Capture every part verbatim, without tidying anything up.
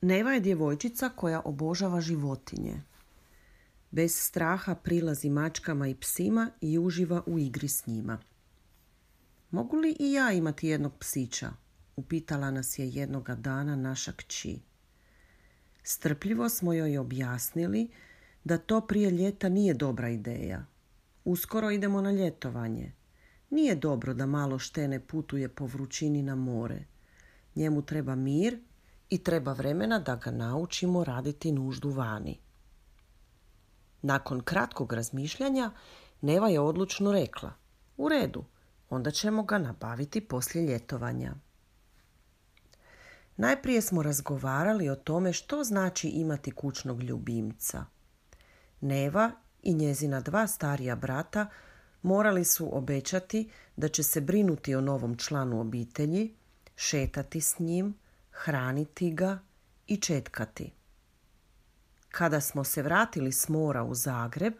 Neva je djevojčica koja obožava životinje. Bez straha prilazi mačkama i psima i uživa u igri s njima. Mogu li i ja imati jednog psića? Upitala nas je jednoga dana naša kći. Strpljivo smo joj objasnili da to prije ljeta nije dobra ideja. Uskoro idemo na ljetovanje. Nije dobro da malo štene putuje po vrućini na more. Njemu treba mir i treba vremena da ga naučimo raditi nuždu vani. Nakon kratkog razmišljanja, Neva je odlučno rekla: u redu, onda ćemo ga nabaviti poslije ljetovanja. Najprije smo razgovarali o tome što znači imati kućnog ljubimca. Neva i njezina dva starija brata morali su obećati da će se brinuti o novom članu obitelji, šetati s njim, hraniti ga i četkati. Kada smo se vratili s mora u Zagreb,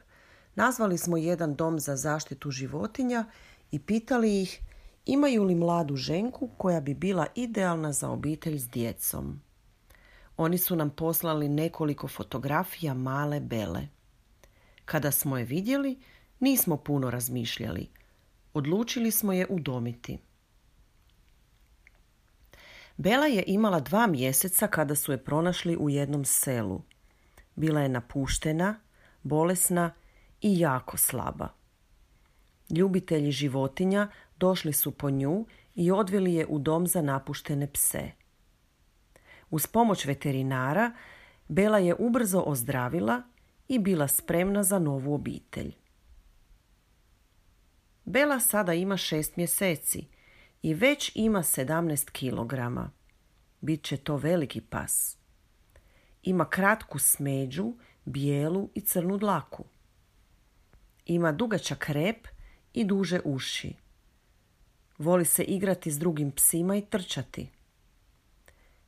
nazvali smo jedan dom za zaštitu životinja i pitali ih imaju li mladu ženku koja bi bila idealna za obitelj s djecom. Oni su nam poslali nekoliko fotografija male Bele. Kada smo je vidjeli, nismo puno razmišljali. Odlučili smo je udomiti. Bela je imala dva mjeseca kada su je pronašli u jednom selu. Bila je napuštena, bolesna i jako slaba. Ljubitelji životinja došli su po nju i odveli je u dom za napuštene pse. Uz pomoć veterinara Bela je ubrzo ozdravila i bila spremna za novu obitelj. Bela sada ima šest mjeseci i već ima sedamnaest kilograma. Bit će to veliki pas. Ima kratku smeđu, bijelu i crnu dlaku. Ima dugačak rep i duže uši. Voli se igrati s drugim psima i trčati.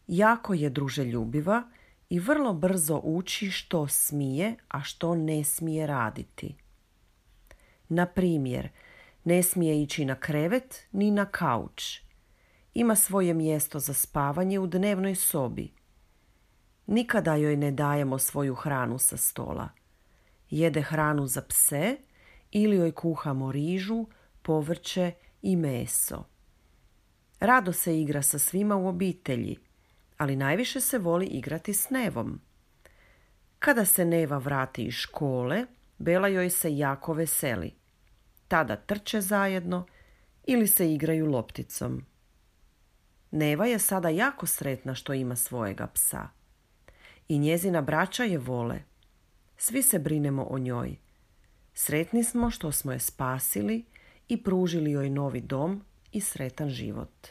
Jako je druželjubiva i vrlo brzo uči što smije, a što ne smije raditi. Na primjer, ne smije ići na krevet ni na kauč. Ima svoje mjesto za spavanje u dnevnoj sobi. Nikada joj ne dajemo svoju hranu sa stola. Jede hranu za pse ili joj kuhamo rižu, povrće i meso. Rado se igra sa svima u obitelji, ali najviše se voli igrati s Nevom. Kada se Neva vrati iz škole, Bela joj se jako veseli. Tada trče zajedno ili se igraju lopticom. Neva je sada jako sretna što ima svojega psa. I njezina braća je vole. Svi se brinemo o njoj. Sretni smo što smo je spasili i pružili joj novi dom i sretan život.